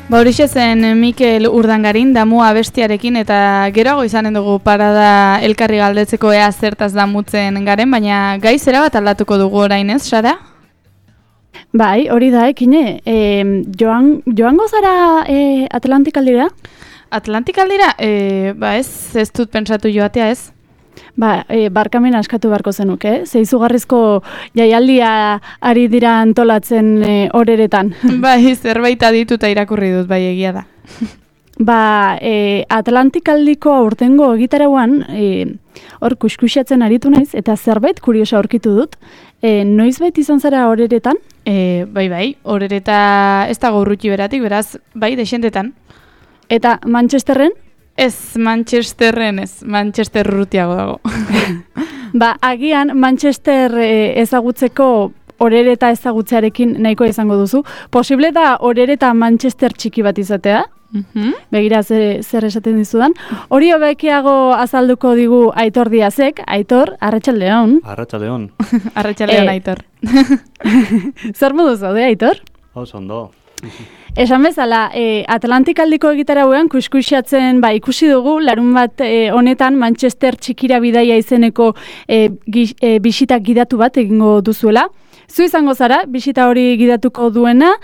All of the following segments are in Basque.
Horixe zen Mikel Urdangarin damu abestiarekin eta geroago izanen dugu parada elkarri galdetzeko ea zertaz damutzen garen, baina gai zera bat aldatuko dugu orain ez, Sara? Bai, hori da, ekine. Joango zara Atlantikaldira? Atlantikaldira? Ba ez dut pentsatu joatea ez. Barkamena askatu beharko zenuke, ze izugarrizko jaialdia ari dira antolatzen horeretan. Bai, zerbait adituta irakurri dut, bai egia da. Atlantikaldiko aurtengo egitarauan, hor kuskusiatzen aritu naiz, eta zerbait kuriosa aurkitu dut. Noizbait izan zara horeretan? Bai, horereta ez dago urruti beratik, beraz, bai, desentetan. Eta Manchesterren? Ez, Manchesterren ez, Manchester urrutiago dago. Agian Manchester ezagutzeko horereta ezagutzearekin nahikoa izango duzu. Posible da horereta Manchester txiki bat izatea? Begira zer esaten dizudan. Hori hobekiago azalduko digu Aitor Diazek. Aitor, arratsaldeon. Arratsaldeon. Arratsaldeon, Aitor. Zer modu zaude, Aitor? Ondo. Esan bezala, Atlantikaldiko egitarauan kuskusiatzen ikusi dugu, larun bat honetan Manchester txikira bidaia izeneko bisitak gidatu bat egingo duzuela. Zu izango zara, bisita hori gidatuko duena,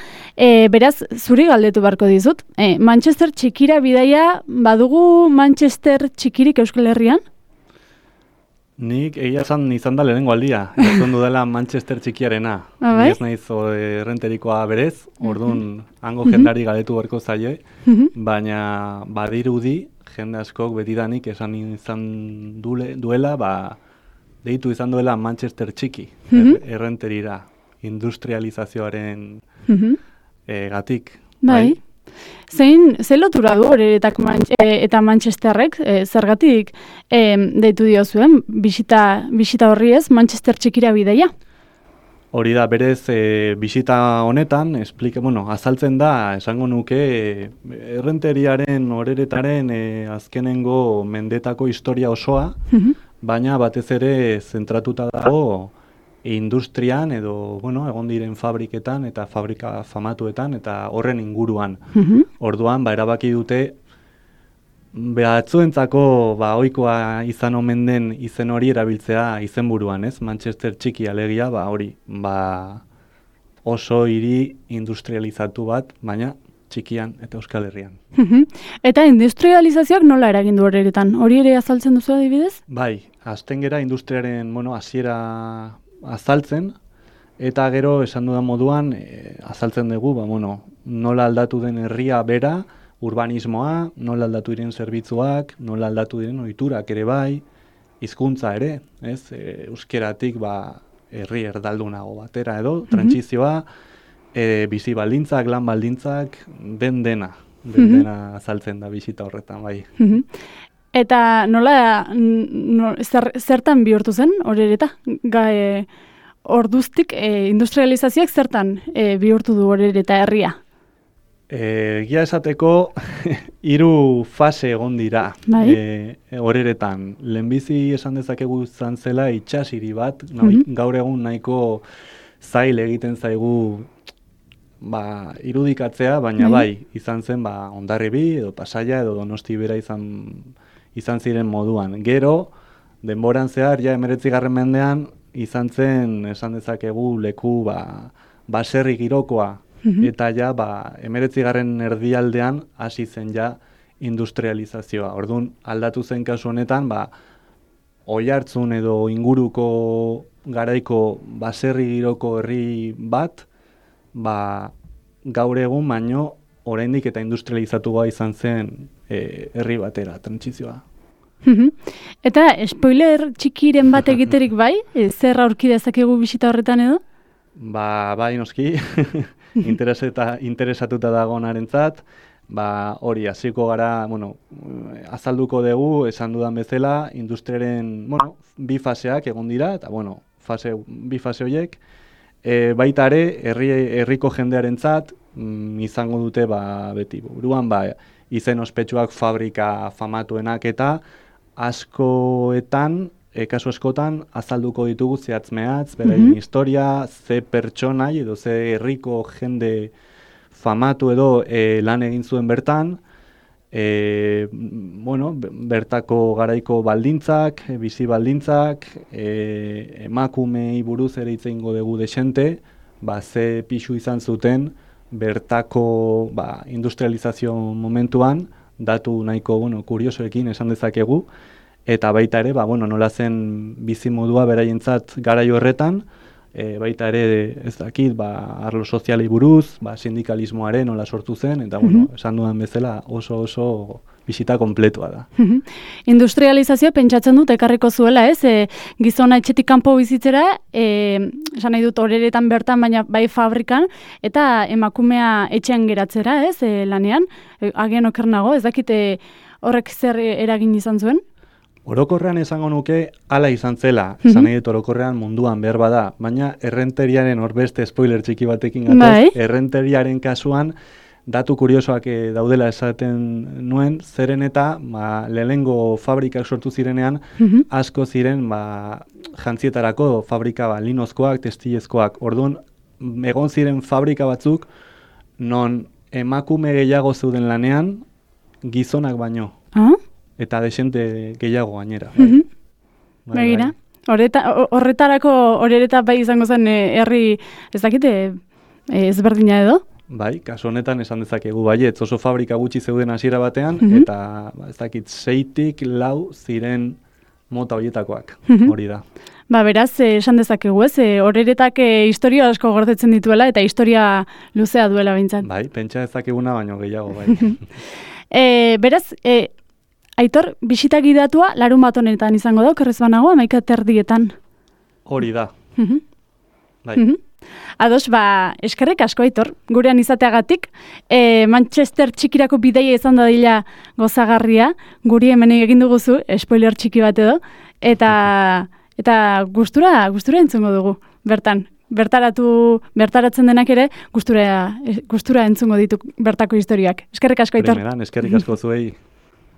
beraz, zuri galdetu beharko dizut. Manchester txikira bidaia, badugu Manchester txikirik Euskal Herrian? Nik egia izan da lehenengo aldia, izan dudala Manchester txikiarena. Ni ez naiz errenterikoa berez, orduan hango jendari galdetu beharko zaie, baina badirudi jende askok betidanik esan izan duela, deitu izan duela Manchester txiki, errenterira, industrializazioaren gatik. Bai. Zein lotura du horeretak eta Manchesterrek, zergatik deitu diozuen, bisita horri ez, Manchester txikira bidaia? Hori da, berez, bisita honetan, azaltzen da, esango nuke, errenteriaren, horeretaren azkenengo mendetako historia osoa, baina batez ere zentratuta dago industrian edo, egon diren fabriketan eta fabrika famatuetan eta horren inguruan. Orduan, erabaki dute, batzuentzako ohikoa izan omen den izen hori erabiltzea izenburuan, ez? Manchester txiki alegia, hori, oso hiri industrializatu bat, baina txikian eta Euskal Herrian. Eta industrializazioak nola eragin du horeretan? Hori ere azaltzen duzu adibidez? Bai, hasten gera industriaren, hasiera azaltzen, eta gero esan dudan moduan azaltzen dugu, nola aldatu den herria bera, urbanismoa, nola aldatu diren zerbitzuak, nola aldatu diren ohiturak ere bai, hizkuntza ere, ez? Euskeratik herri erdaldunago batera edo, trantsizioa, bizi baldintzak, lan baldintzak, dena azaltzen da bisita horretan, bai. Eta zertan bihurtu zen horereta? Orduztik industrializazioak zertan bihurtu du horereta herria? Egia esateko 3 fase egon dira horeretan. Lehenbizi esan dezakegu izan zela itsashiri bat, gaur egun nahiko zail egiten zaigu irudikatzea, baina bai, izan zen Hondarribi edo Pasaia edo Donosti bera izan ziren moduan. Gero, denboran zehar, 19. mendean, izan zen, esan dezakegu, leku baserri girokoa, eta 19. erdialdean hasi zen industrializazioa. Orduan, aldatu zen kasu honetan, Oiartzun edo inguruko garaiko baserri giroko herri bat, gaur egun baino oraindik eta industrializatua izan zen herri batera, trantsizioa. Eta spoiler txikiren bat egiterik bai? Zer aurki dezakegu bisita horretan edo? Bai, noski, interesatuta dagoenarentzat, hori hasiko gara, azalduko dugu, esan dudan bezala, industriaren, bi faseak egon dira, eta, bi fase horiek, baita ere, herriko jendearentzat izango dute beti buruan, izen ospetsuak fabrika famatuenak eta askoetan, kasu askotan, azalduko ditugu zehatz-mehatz, beraien historia, ze pertsonai edo ze herriko jende famatu edo lan egin zuen bertan, bertako garaiko baldintzak, bizi baldintzak, emakumei buruz ere hitz egingo dugu desente, ze pixu izan zuten bertako industrializazio momentuan, datu nahiko kuriosoekin esan dezakegu, eta baita ere, nola zen bizimodua beraientzat garai horretan, baita ere ez dakit, arlo sozialei buruz, sindikalismoaren nola sortu zen, eta esan dudan bezala oso bisita kompletua da. Industrializazio pentsatzen dut ekarriko zuela, ez? Gizona etxetik kanpo bizitzera, esan nahi dut horeretan bertan, baina bai fabrikan, eta emakumea etxean geratzera, ez? Lanean, agian oker nago, ez dakit horrek zer eragin izan zuen? Orokorrean esango nuke hala izan zela, esan nahi dut orokorrean munduan behar bada, baina errenteriaren horbeste spoiler txiki batekin gatoz, errenteriaren kasuan datu kuriosoak daudela esaten nuen, zeren eta lehenengo fabrikak sortu zirenean, asko ziren jantzietarako fabrika linozkoak, testilezkoak. Orduan, egon ziren fabrika batzuk, non emakume gehiago zeuden lanean, gizonak baino. Eta desente gehiago gainera. Begira, horretarako horereta bai izango zen herri, ez dakite, ezberdina edo? Bai, kasu honetan esan dezakegu baietz, oso fabrika gutxi zeuden hasiera batean, eta ez dakit 6-tik 4 ziren mota horietakoak, hori da. Beraz, esan dezakegu ez, horeretak historia asko gordetzen dituela, eta historia luzea duela bintzat. Bai, pentsa dezakeguna baino gehiago, bai. Beraz, Aitor, bisita gidatua larun bat honetan izango da, okerrez banago, 11:00 Hori da. Bai. Ados, eskerrik asko, Aitor, gurean izateagatik. Manchester txikirako bidaia izan dadila gozagarria, guri hemen egin duguzu, spoiler txiki bat edo, eta gustura entzungo dugu, bertan. Bertaratzen denak ere, gustura entzungo ditu bertako historiak. Eskerrik asko, Aitor. Eskerrik asko zuei.